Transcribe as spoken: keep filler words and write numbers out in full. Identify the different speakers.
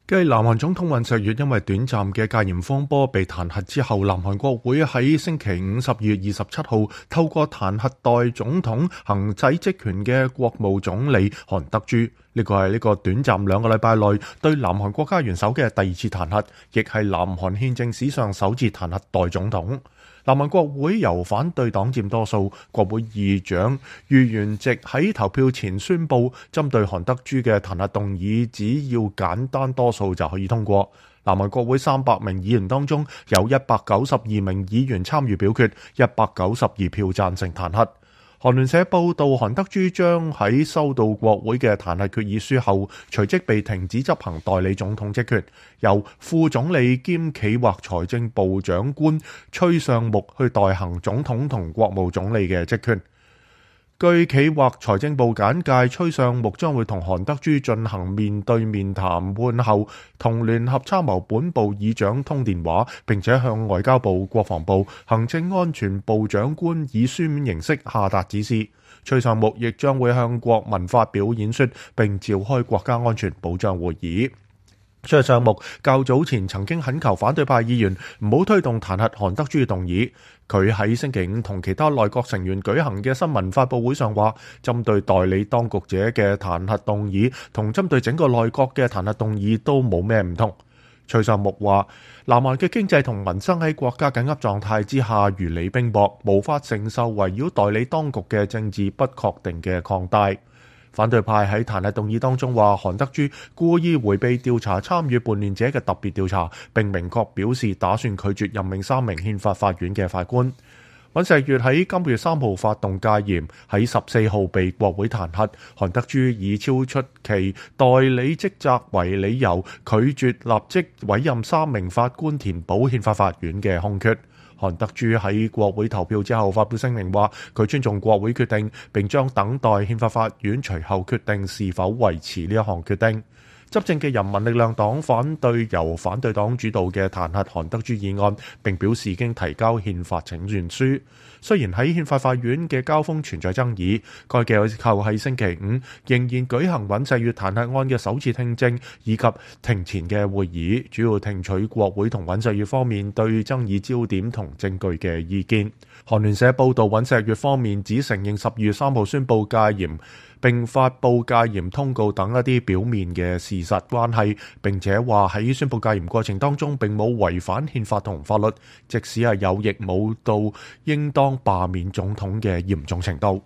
Speaker 1: 繼南韓總統尹錫悅因為短暫嘅戒嚴風波被彈劾之後，南韓國會喺星期五十二月二十七號透過彈劾代總統行使職權嘅國務總理韓德珠。呢個係呢個短暫兩個禮拜內對南韓國家元首嘅第二次彈劾，亦係南韓憲政史上首次彈劾代總統。南韓國會由反對黨佔多數，國會議長喻元植喺投票前宣布，針對韓德珠嘅彈劾動議，只要簡單多數就可以通過。南韓國會三百名議員當中，有一百九十二名議員參與表決，一百九十二票贊成彈劾。韓聯社報道，韓德珠將喺收到國會嘅彈劾決議書後，隨即被停止執行代理總統職權，由副總理兼企劃財政部長官崔尚木去代行總統同國務總理嘅職權。據企劃財政部簡介，崔尚木將會同韓德珠進行面對面談判後，同聯合參謀本部議長通電話，並且向外交部、國防部、行政安全部長官以書面形式下達指示。崔尚木亦將會向國民發表演說，並召開國家安全保障會議。崔尚木較早前曾經懇求反對派議員唔好推動彈劾韓德珠嘅動議。佢喺星期五同其他內閣成員舉行嘅新聞發佈會上話，針對代理當局者嘅彈劾動議同針對整個內閣嘅彈劾動議都冇咩唔同。崔尚木話，南韓嘅經濟同民生喺國家緊急狀態之下如履冰雹，無法承受圍繞代理當局嘅政治不確定嘅擴大。反對派喺彈劾動議當中話，韓德珠故意迴避調查參與叛亂者嘅特別調查，並明確表示打算拒絕任命三名憲法法院嘅法官。尹錫悅喺今個月三號發動戒嚴，喺十四號被國會彈劾。韓德珠以超出其代理職責為理由，拒絕立即委任三名法官填補憲法法院嘅空缺。韓德珠喺國會投票之後發表聲明話，佢尊重國會決定，並將等待憲法法院隨後決定是否維持呢一項決定。執政嘅人民力量黨反對由反對黨主導嘅彈劾韓德珠議案，並表示已經提交憲法請願書。雖然喺憲法法院嘅交鋒存在爭議，該機構喺星期五仍然舉行尹錫悅彈劾案嘅首次聽證以及庭前嘅會議，主要聽取國會同尹錫悅方面對爭議焦點同證據嘅意見。韓聯社報道，尹錫悅方面只承認十二月三號宣布戒嚴並發布戒嚴通告等一啲表面嘅事實關係，並且話喺宣布戒嚴過程當中並冇違反憲法同法律，即使係有亦冇到應當罷免總統嘅嚴重程度。